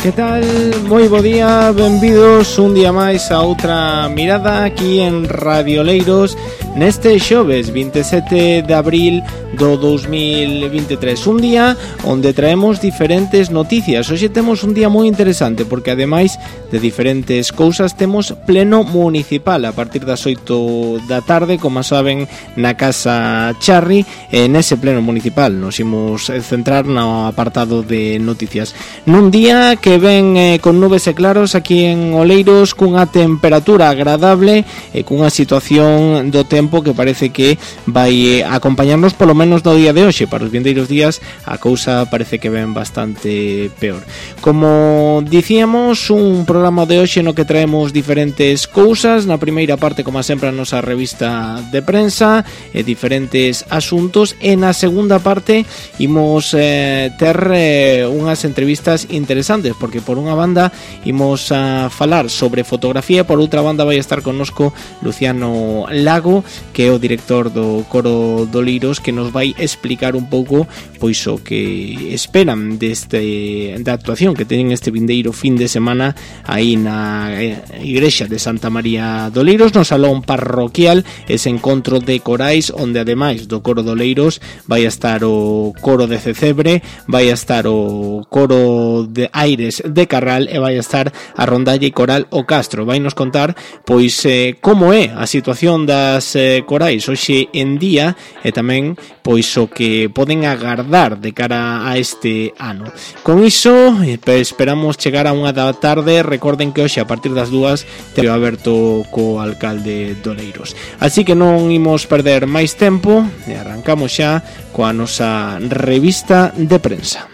Que tal? Moi bo día, benvidos un día máis a outra mirada aquí en Radio Oleiros neste xoves 27 de abril do 2023. Un día onde traemos diferentes noticias. Hoxe temos un día moi interesante porque ademais de diferentes cousas temos pleno municipal a partir das 8 da tarde, como saben, na Casa Charri. Nese pleno municipal nos imos centrar no apartado de noticias. Nun día que ven con nubes e claros aquí en Oleiros, cunha temperatura agradable e cunha situación do tempo que parece que vai acompañarnos polo menos no día de hoxe. Para os vindeiros días a cousa parece que ven bastante peor. Como dicíamos, un programa de hoxe no que traemos diferentes cousas. Na primeira parte, como sempre, a nosa revista de prensa e diferentes asuntos, e na segunda parte imos ter unhas entrevistas interesantes, porque por unha banda imos a falar sobre fotografía, por outra banda vai estar connosco Luciano Lago, que é o director do Coro de Oleiros, que nos vai explicar un pouco pois o que esperan da actuación que teñen este vindeiro fin de semana aí na igrexa de Santa María de Oleiros, no salón parroquial, ese encontro de corais onde ademais do Coro de Oleiros vai a estar o Coro de Cecebre, vai a estar o Coro de Aires de Carral e vai a estar a Rondalle Coral o Castro. Vai nos contar pois como é a situación das corais hoxe en día e tamén pois o que poden agardar de cara a este ano. Con iso esperamos chegar a 1 da tarde. Recorden que hoxe a partir das 2 teño aberto co alcalde de Oleiros. Así que non imos perder máis tempo e arrancamos xa coa nosa revista de prensa.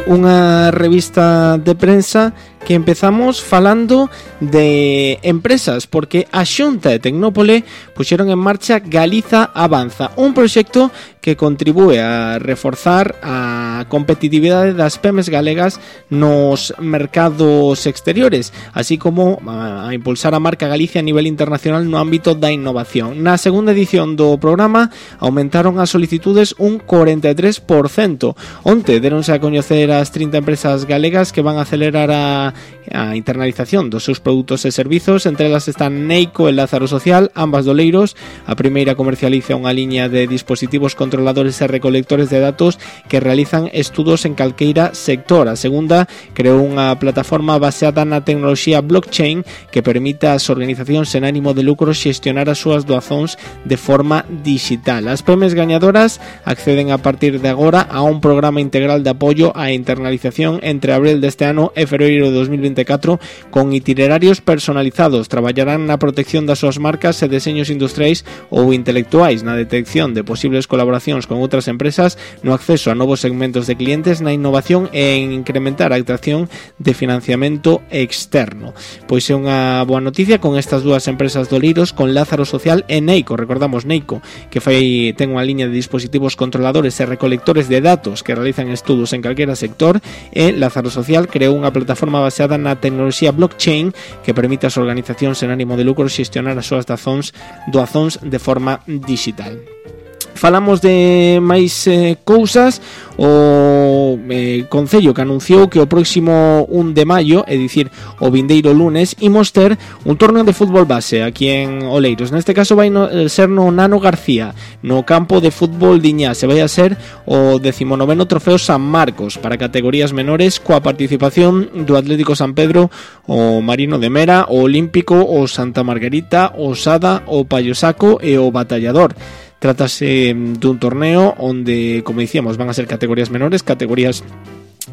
Unha revista de prensa que empezamos falando de empresas, porque a Xunta e Tecnópole puxeron en marcha Galiza Avanza, un proxecto que contribúe a reforzar a competitividade das PEMES galegas nos mercados exteriores, así como a impulsar a marca Galicia a nivel internacional no ámbito da innovación. Na segunda edición do programa aumentaron as solicitudes un 43%. Onte deronse a coñecer as 30 empresas galegas que van a acelerar a internalización dos seus produtos e servizos. Entre elas están Neico e Lázaro Social, ambas de Oleiros. A primeira comercializa unha liña de dispositivos controladores e recolectores de datos que realizan estudos en calqueira sector. A segunda creou unha plataforma baseada na tecnoloxía blockchain que permita ás organizacións sen ánimo de lucro xestionar as súas doazóns de forma digital. As PEMES gañadoras acceden a partir de agora a un programa integral de apoio á internalización entre abril deste ano e febreiro de 2024 con itinerarios personalizados. Traballarán na protección das súas marcas e deseños industriais ou intelectuais, na detección de posibles colaboracións con outras empresas, no acceso a novos segmentos de clientes, na innovación e en incrementar a atracción de financiamento externo. Pois é unha boa noticia con estas dúas empresas de Oleiros, con Lázaro Social e Neico. Recordamos Neico, que ten unha liña de dispositivos controladores e recolectores de datos que realizan estudos en calquera sector, e Lázaro Social creou unha plataforma baseada na tecnoloxía blockchain que permite ás organizacións sen ánimo de lucro xestionar as súas doazóns de forma digital. Falamos de máis cousas. O Concello que anunciou que o próximo 1 de maio, é dicir, o vindeiro lunes, imos ter un torneo de fútbol base aquí en Oleiros. Neste caso vai ser no Nano García, no campo de fútbol Diñá. Se vai a ser o 19º trofeo San Marcos para categorías menores, coa participación do Atlético San Pedro, o Marino de Mera, o Olímpico, o Santa Margarita, o Sada, o Payosaco e o Batallador. Trátase dun torneo onde, como dicíamos, van a ser categorías menores, categorías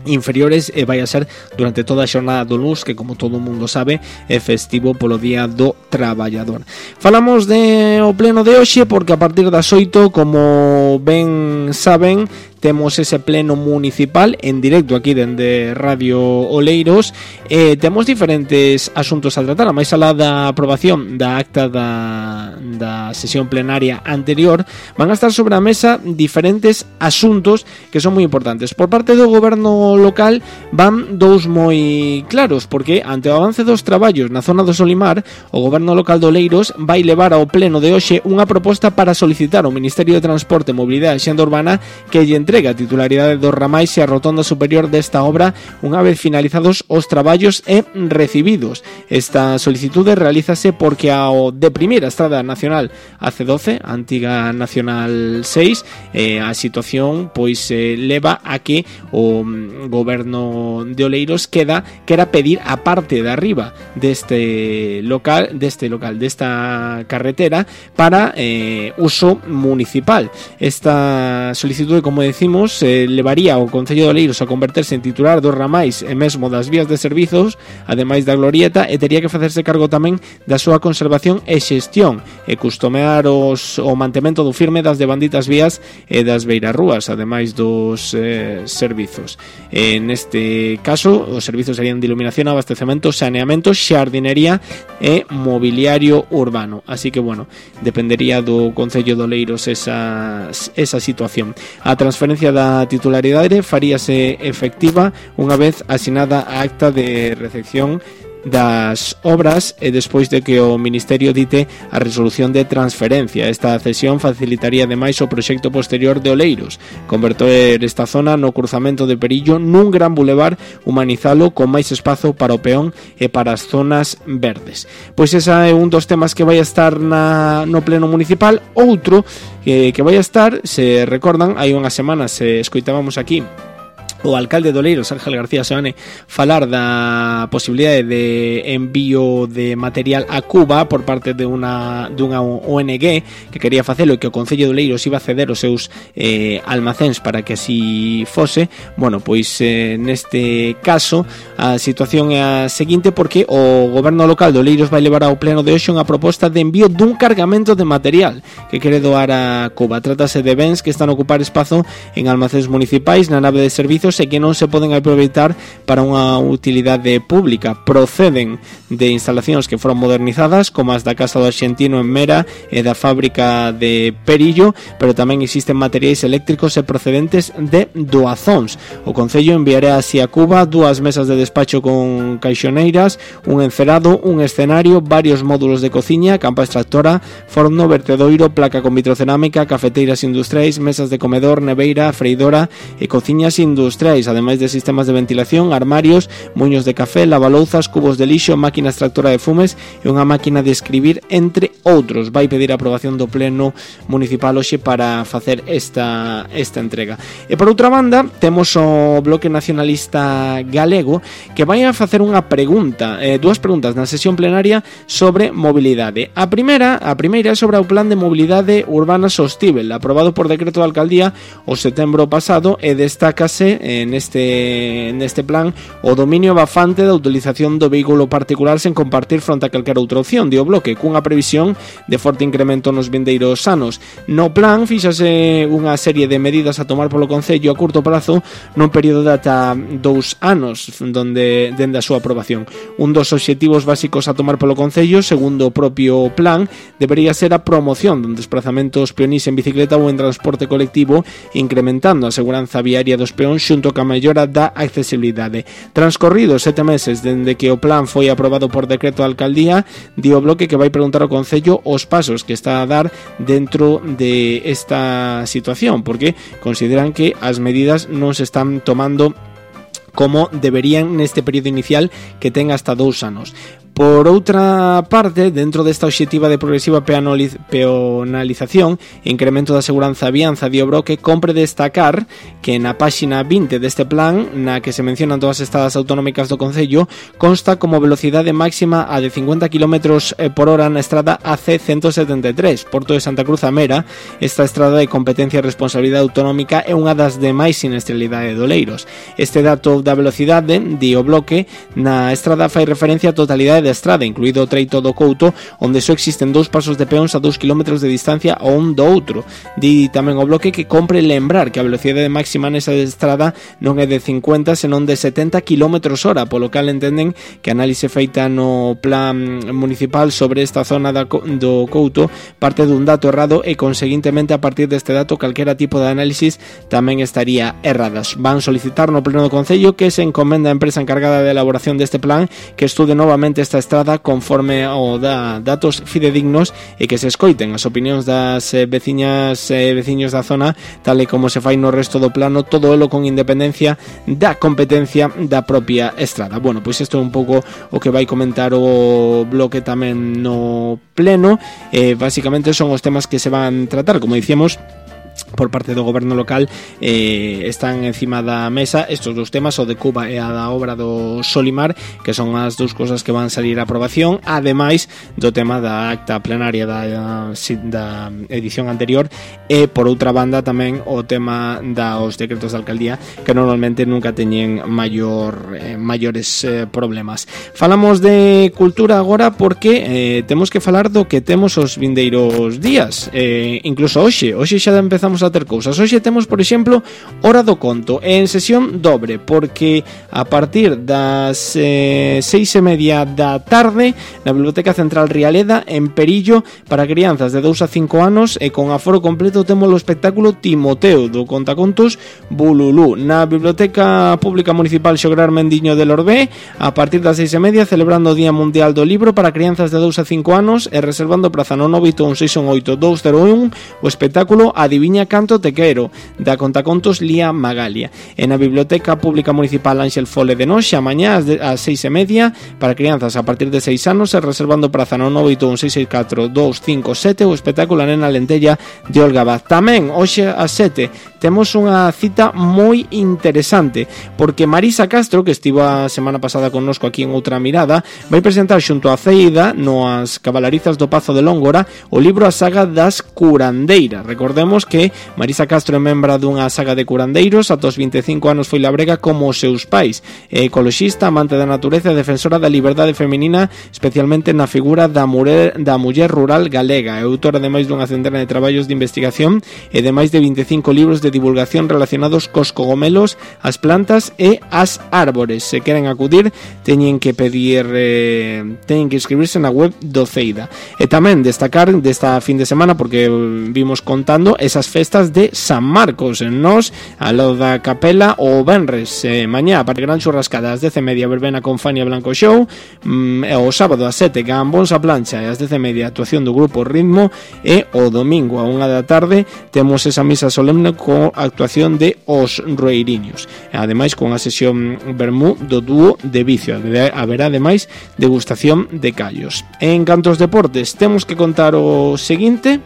inferiores, e vai a ser durante toda a xornada do luns, que como todo o mundo sabe é festivo polo Día do Traballador. Falamos de o pleno de hoxe porque a partir das 8, como ben saben, temos ese pleno municipal en directo aquí dende Radio Oleiros. Temos diferentes asuntos a tratar, a máis alá da aprobación da acta da sesión plenaria anterior, van a estar sobre a mesa diferentes asuntos que son moi importantes. Por parte do goberno local van dous moi claros, porque ante o avance dos traballos na zona do Solimar, o goberno local de Oleiros vai levar ao pleno de hoxe unha proposta para solicitar ao Ministerio de Transporte, Mobilidade e Xenda Urbana que lle entregue a titularidade dos ramais e a rotonda superior desta obra unha vez finalizados os traballos e recibidos. Esta solicitude realízase porque ao deprimir a Estrada Nacional AC12, a antiga Nacional 6, a situación pois leva a que o goberno de Oleiros quera pedir a parte de arriba desta carretera para uso municipal. Esta solicitude, como decimos, levaría ao Concello de Oleiros a converterse en titular dos ramais e mesmo das vías de servizos, ademais da glorieta, e tería que facerse cargo tamén da súa conservación e xestión e customear o mantemento do firme das devanditas vías e das beirarrúas, ademais dos servizos. Neste caso, os servizos serían de iluminación, abastecemento, saneamento, xardinería e mobiliario urbano. Así que, bueno, dependería do Concello de Oleiros esa situación. A transferencia da titularidade faríase efectiva unha vez asinada a acta de recepción das obras e despois de que o Ministerio dite a resolución de transferencia. Esta cesión facilitaría ademais o proxecto posterior de Oleiros, converter esta zona no cruzamento de Perillo nun gran bulevar, humanizalo con máis espazo para o peón e para as zonas verdes. Pois esa é un dos temas que vai a estar no pleno municipal. Outro que vai a estar, se recordan, hai unhas semanas escoitábamos aquí o alcalde de Oleiros, Ángel García Seoane, falar da posibilidade de envío de material a Cuba por parte de dunha ONG que quería facelo e que o Concello de Oleiros iba a ceder os seus almacéns para que así fose. Bueno, pois neste caso a situación é a seguinte, porque o goberno local de Oleiros vai levar ao pleno de hoxe unha proposta de envío dun cargamento de material que quere doar a Cuba. Trátase de bens que están a ocupar espazo en almacéns municipais na nave de servizos e que non se poden aproveitar para unha utilidade pública. Proceden de instalacións que foron modernizadas, como as da Casa do Arxentino en Mera e da fábrica de Perillo, pero tamén existen materiais eléctricos e procedentes de doazóns. O Concello enviará así a Cuba 2 mesas de despacho con caixoneiras, un encerado, un escenario, varios módulos de cociña, campa extractora, forno, vertedoiro, placa con vitrocerámica, cafeteiras industriais, mesas de comedor, neveira, freidora e cociñas industriais, ademais de sistemas de ventilación, armarios, muños de café, lavalouzas, cubos de lixo, máquina extractora de fumes e unha máquina de escribir, entre outros. Vai pedir a aprobación do pleno municipal hoxe para facer esta entrega. E por outra banda, temos o Bloque Nacionalista Galego que vai a facer unha pregunta, dúas preguntas na sesión plenaria sobre mobilidade. A primeira é sobre o Plan de Mobilidade Urbana Sostíbel, aprobado por decreto da alcaldía o setembro pasado, e destácase neste plan o dominio bafante da utilización do vehículo particular sen compartir fronte a calquera outra opción, di o Bloque, cunha previsión de forte incremento nos vindeiros anos. No plan fíxase unha serie de medidas a tomar polo Concello a curto prazo nun período de ata 2 anos dende a súa aprobación. Un dos obxectivos básicos a tomar polo Concello, segundo o propio plan, debería ser a promoción de desplazamentos peonís en bicicleta ou en transporte colectivo, incrementando a seguranza viaria dos peóns xunto ca mellora da accesibilidade. Transcorridos 7 meses dende que o plan foi aprobado por decreto da alcaldía, di o Bloque que vai preguntar ao Concello os pasos que está a dar dentro de esta situación, porque consideran que as medidas non se están tomando como deberían neste período inicial que ten hasta 2 anos. Por outra parte, dentro desta obxectiva de progresiva peonalización e incremento da seguranza vianza, di o Bloque, compre destacar que na páxina 20 deste plan, na que se mencionan todas as estradas autonómicas do Concello, consta como velocidade máxima a de 50 km por hora na estrada AC173, Porto de Santa Cruz a Mera. Esta estrada de competencia e responsabilidade autonómica é unha das de máis sinestralidade de Oleiros. Este dato da velocidade, di o Bloque, na estrada fai referencia a totalidade de da estrada, incluído o treito do Couto, onde só existen 2 pasos de peóns a 2 km de distancia o un do outro. Di tamén o Bloque que compre lembrar que a velocidade máxima nesa estrada non é de 50, senón de 70 km/h, polo cal entenden que a análise feita no plan municipal sobre esta zona do Couto parte dun dato errado e, conseguintemente, a partir deste dato, calquera tipo de análisis tamén estaría erradas. Van solicitar no pleno do Concello que se encomenda a empresa encargada de elaboración deste plan que estude novamente esta estrada conforme ao da datos fidedignos e que se escoiten as opinións das veciñas e veciños da zona, tal e como se fai no resto do plano, todo elo con independencia da competencia da propia estrada. Bueno, pois isto é un pouco o que vai comentar o Bloque tamén no pleno. Básicamente son os temas que se van tratar, como dicíamos, por parte do goberno local. Están encima da mesa estes dous temas, o de Cuba e a da obra do Solimar, que son as dous cosas que van salir a aprobación, ademais do tema da acta plenaria da edición anterior, e por outra banda tamén o tema dos decretos de alcaldía, que normalmente nunca teñen maiores problemas. Falamos de cultura agora porque temos que falar do que temos os vindeiros días, incluso hoxe xa empezamos a ter cousas. Hoxe temos, por exemplo, Hora do Conto en sesión dobre, porque a partir das 6:30 da tarde na Biblioteca Central Rialeda, en Perillo, para crianzas de 2 a 5 anos e con aforo completo, temos o espectáculo Timoteo do contacontos Bululú na Biblioteca Pública Municipal Xograr Mendiño de Lorbé, a partir das 6:30, celebrando o Día Mundial do Libro para crianzas de 2 a 5 anos e reservando praza no 981 618 201 o espectáculo Adiviña Canto Te Quero, da contacontos Lía Magalia. En a Biblioteca Pública Municipal Ángel Fole de Noxe, a mañá ás 6:30, para crianzas a partir de 6 anos e reservando praza no 981 664 257 o espectáculo A Nena Lentella de Olga Vaz. Tamén, hoxe ás 7, temos unha cita moi interesante, porque Marisa Castro, que estivo a semana pasada connosco aquí en Outra Mirada, vai presentar xunto a Ceida, no As Cabalarizas do Pazo de Lóngora, o libro A Saga das Curandeiras. Recordemos que Marisa Castro é membra dunha saga de curandeiros, ata os 25 anos foi labrega como os seus pais, é ecoloxista, amante da natureza e defensora da liberdade feminina, especialmente na figura da muller rural galega. É autora de máis dunha centena de traballos de investigación e de máis de 25 libros de divulgación relacionados cos cogomelos, as plantas e as árbores. Se queren acudir, teñen que inscribirse na web do Ceida. E tamén destacar desta fin de semana, porque vimos contando esas festas de San Marcos en Nos, a lo da Capela o Benres, mañá para gran churrascada ás 10:30 verbena con Fania Blanco Show, o sábado ás 7 Gambóns a plancha e ás 10:30 actuación do grupo Ritmo, e o domingo a 1 da tarde temos esa misa solemne co actuación de Os Roeiriños, ademais con a sesión vermú do dúo de Vicio. Haberá ademais degustación de callos. En canto aos deportes, temos que contar o seguinte,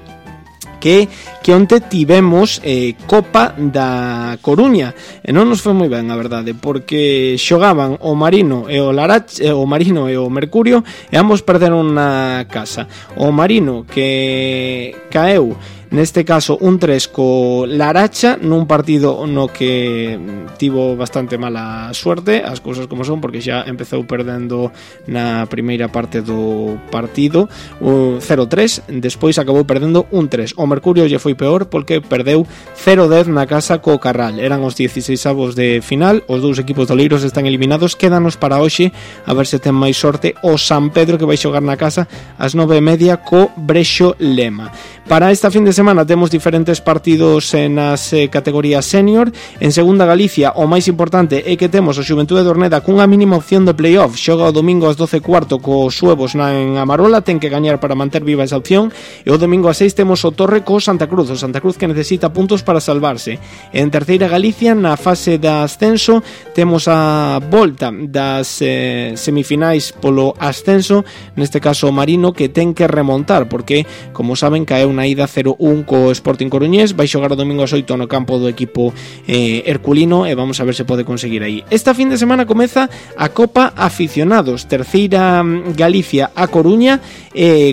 que onte tivemos Copa da Coruña e non nos foi moi ben, a verdade, porque xogaban o Marino e o Mercurio e ambos perderon na casa. O Marino, que caeu neste caso 1-3 co Laracha nun partido no que tivo bastante mala suerte, as cousas como son, porque xa empezou perdendo na primeira parte do partido 0-3, despois acabou perdendo 1-3. O Mercurio lle foi peor porque perdeu 0-10 na casa co Carral. Eran os 16avos de final, os dous equipos doleiros están eliminados. Quédanos para hoxe a ver se ten máis sorte o San Pedro, que vai xogar na casa ás 9:30 co Brexo Lema. Para esta fin de semana temos diferentes partidos nas categorías senior. En segunda Galicia, o máis importante é que temos o Xuventude de Orneda cunha mínima opción de playoff. Xoga o domingo ás 12:15 co Suevos en Amarola, ten que gañar para manter viva esa opción. E o domingo ás 6 temos o Torre co Santa Cruz, o Santa Cruz que necesita puntos para salvarse. En terceira Galicia, na fase de ascenso, temos a volta das semifinais polo ascenso, neste caso o Marino, que ten que remontar, porque, como saben, caeu na ida 0-1 1 co Sporting Coruñés, vai xogar o domingo ás 8 no campo do equipo herculino e vamos a ver se pode conseguir aí. Esta fin de semana comeza a Copa Aficionados, terceira Galicia a Coruña,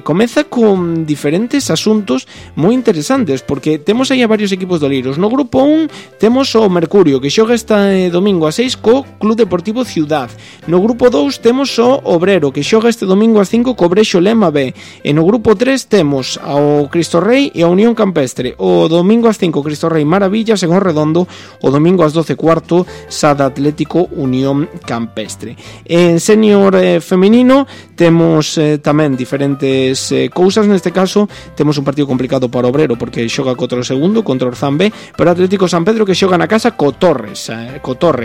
comeza con diferentes asuntos moi interesantes, porque temos aí a varios equipos do Oleiros. No grupo 1 temos o Mercurio, que xoga este domingo a 6 co Club Deportivo Ciudad. No grupo 2 temos o Obrero, que xoga este domingo a 5 co Brexo Lema B. E no grupo 3 temos ao Cristo Rei e a Unión Campestre. O domingo a 5 Cristo Rei Maravillas en Redondo, o domingo ás 12:15 Sada Atlético Unión Campestre. En senior feminino temos tamén diferentes cousas. Neste caso temos un partido complicado para o Obrero, porque xoga contra o segundo, contra o Orzán B, pero Atlético San Pedro, que xoga na casa co Torre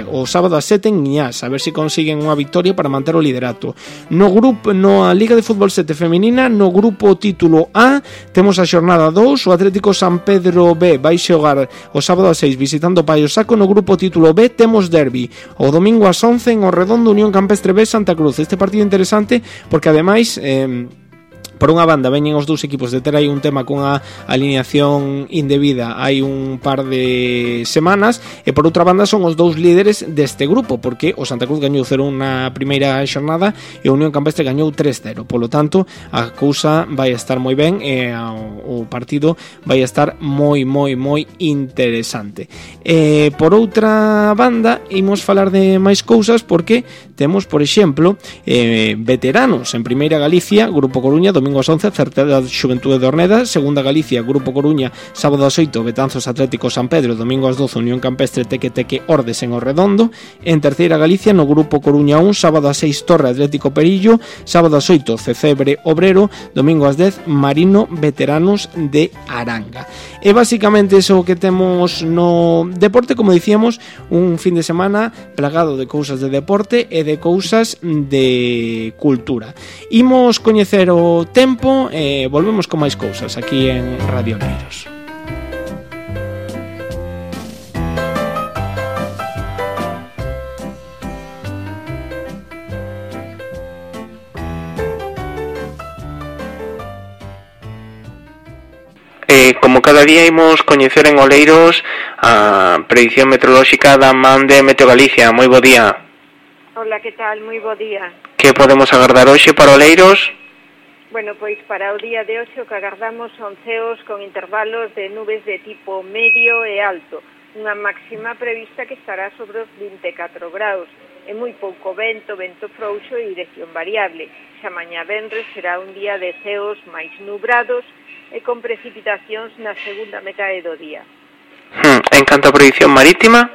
o sábado a 7 en Iñás, a ver se consiguen unha victoria para manter o liderato. No Liga de Fútbol 7 femenina, no grupo título A temos a xornada 2, o Atlético San Pedro B vai xogar o sábado a 6 visitando Paio Saco. No grupo título B temos derbi o domingo ás 11 en Redondo, Unión Campestre B Santa Cruz. Este partido interesante porque ademais por unha banda veñen os dous equipos de ter aí un tema con a alineación indebida hai un par de semanas, e por outra banda son os dous líderes deste grupo, porque o Santa Cruz gañou 0-1 na primeira xornada e o Unión Campestre gañou 3-0. Polo tanto, a cousa vai estar moi ben e o partido vai estar moi interesante. Por outra banda, imos falar de máis cousas, porque temos, por exemplo, veteranos en Primeira Galicia, Grupo Coruña, domingo ás 11, Certeza Xuventude de Orneda. Segunda Galicia, Grupo Coruña, sábado ás 8, Betanzos Atlético San Pedro. Domingo ás 12, Unión Campestre Teque Ordes en Redondo. En Terceira Galicia, no Grupo Coruña 1, sábado ás 6, Torre Atlético Perillo. Sábado ás 8, Cecebre Obrero. Domingo ás 10, Marino Veteranos de Aranga. E basicamente eso que temos no deporte, como dicíamos, un fin de semana plagado de cousas de deporte e de cousas de cultura. Imos coñecer o tempo e volvemos con máis cousas aquí en Radio Oleiros. Como cada día imos coñecer en Oleiros a predicción meteorolóxica da man de Meteo Galicia. Moi bo día. Hola, que tal? Moi bo día. Que podemos agardar hoxe para Oleiros? Bueno, pois para o día de hoxe o que agardamos son ceos con intervalos de nubes de tipo medio e alto, unha máxima prevista que estará sobre os 24 graus, e moi pouco vento frouxo e dirección variable. Xa mañá venres será un día de ceos máis nubrados e con precipitacións na segunda metade do día. En canto a predicción marítima?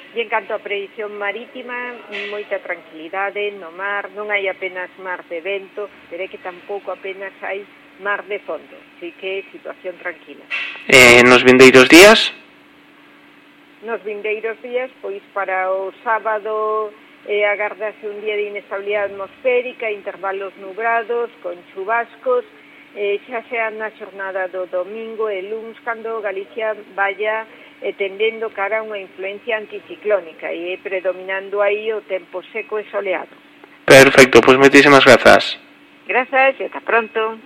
E en canto a predicción marítima, moita tranquilidade no mar, non hai apenas mar de vento, pero é que tampouco apenas hai mar de fondo, así que situación tranquila. Nos vindeiros días? Nos vindeiros días, pois para o sábado agardase un día de inestabilidade atmosférica, intervalos nubrados, con chubascos, xa sea na xornada do domingo e luns, cando Galicia vaya tendendo cara a unha influencia anticiclónica e predominando aí o tempo seco e soleado. Perfecto, pois moitísimas grazas. Grazas e ata pronto.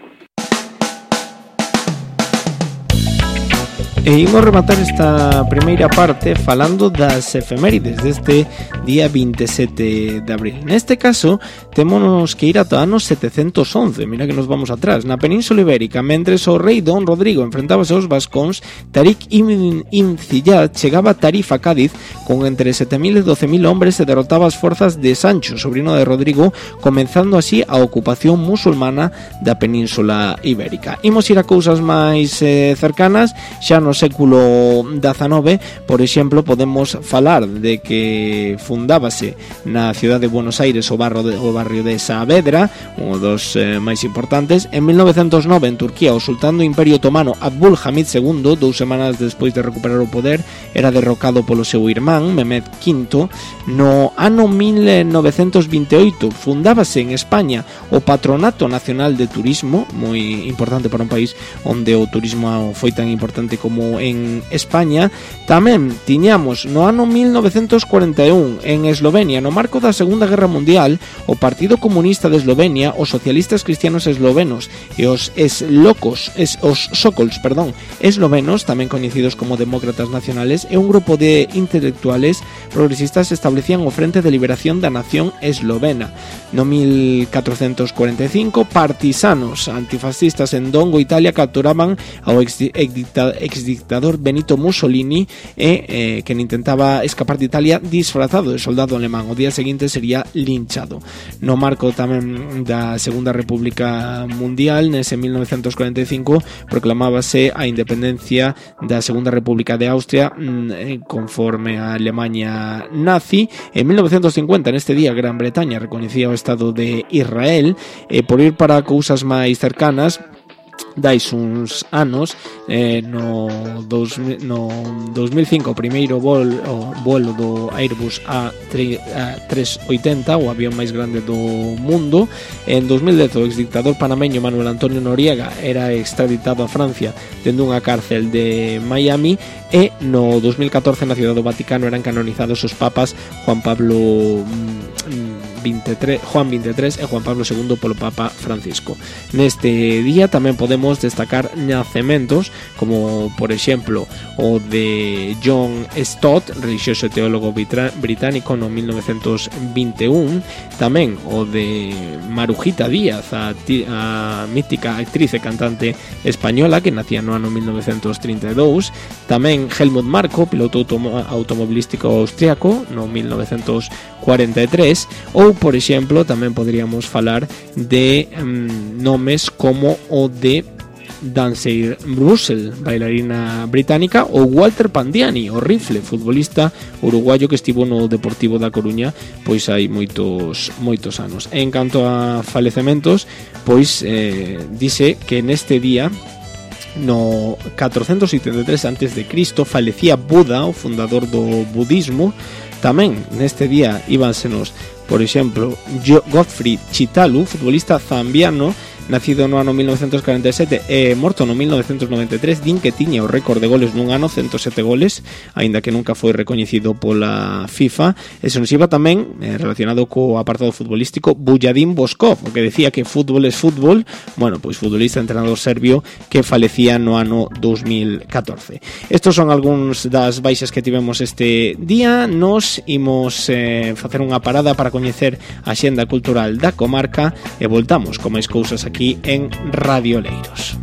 E imos rematar esta primeira parte falando das efemérides deste día 27 de abril. Neste caso, témonos que ir ata anos 711, mira que nos vamos atrás. Na Península Ibérica, mentres o rei Don Rodrigo enfrentábase aos vascóns, Tarik ibn Ziyad chegaba a Tarif a Cádiz con entre 7.000 e 12.000 hombres e derrotaba as forzas de Sancho, sobrino de Rodrigo, comenzando así a ocupación musulmana da Península Ibérica. Imos ir a cousas máis cercanas, xa no século XIX, por exemplo, podemos falar de que fundábase na cidade de Buenos Aires o barrio de Saavedra, un dos máis importantes. En 1909, en Turquía, o sultán do Imperio Otomano Abdul Hamid II, 2 semanas despois de recuperar o poder, era derrocado polo seu irmán Mehmed V. No ano 1928 fundábase en España o Patronato Nacional de Turismo, moi importante para un país onde o turismo foi tan importante como como en España. Tamén tiñamos no ano 1941 en Eslovenia, no marco da Segunda Guerra Mundial, o Partido Comunista de Eslovenia, os socialistas cristianos eslovenos e os Sokols eslovenos, tamén coñecidos como demócratas nacionales, e un grupo de intelectuales progresistas establecían o Frente de Liberación da Nación Eslovena. No 1445, partisanos antifascistas en Dongo, Italia, capturaban ao exdictador Benito Mussolini e que intentaba escapar de Italia disfrazado de soldado alemán. O día seguinte sería linchado. No marco tamén da Segunda República Mundial, nese 1945 proclamábase a independencia da Segunda República de Austria conforme a Alemania nazi. En 1950, neste día, Gran Bretaña recoñecía o Estado de Israel. Por ir para cousas máis cercanas, dais uns anos, no 2005 o primeiro vuelo do Airbus A380, o avión máis grande do mundo. En 2010 o exdictador panameño Manuel Antonio Noriega era extraditado a Francia dende unha cárcel de Miami, e no 2014 na Ciudad do Vaticano eran canonizados os papas Juan XXIII e Juan Pablo II polo Papa Francisco. Neste día tamén podemos destacar nacementos como, por exemplo, o de John Stott, religioso e teólogo británico, no 1921. Tamén o de Marujita Díaz, a mítica actriz e cantante española que nacía no ano 1932. Tamén Helmut Marko, piloto automobilístico austriaco, no 1943. Ou, por exemplo, tamén poderíamos falar de nomes como o de Dancey Russell, bailarina británica, ou Walter Pandiani, o rifle, futbolista uruguayo que estivo no Deportivo da Coruña pois hai moitos anos. En canto a falecementos, pois dice que neste día, no 473 a.C., falecía Buda, o fundador do budismo. Tamén neste día íbansenos, por exemplo, Gottfried Chitalu, futbolista zambiano, nacido no ano 1947 e morto no 1993. Din que tiña o récord de goles nun ano, 107 goles, aínda que nunca foi recoñecido pola FIFA. E se nos iba tamén, relacionado co apartado futbolístico, Bujarin Boskov, o que decía que fútbol es fútbol. Bueno, pois futbolista, entrenador serbio que falecía no ano 2014. Estos son algúns das baixas que tivemos este día. Nos imos facer unha parada para coñecer a xenda cultural da comarca e voltamos con máis cousas aquí en Radio Oleiros.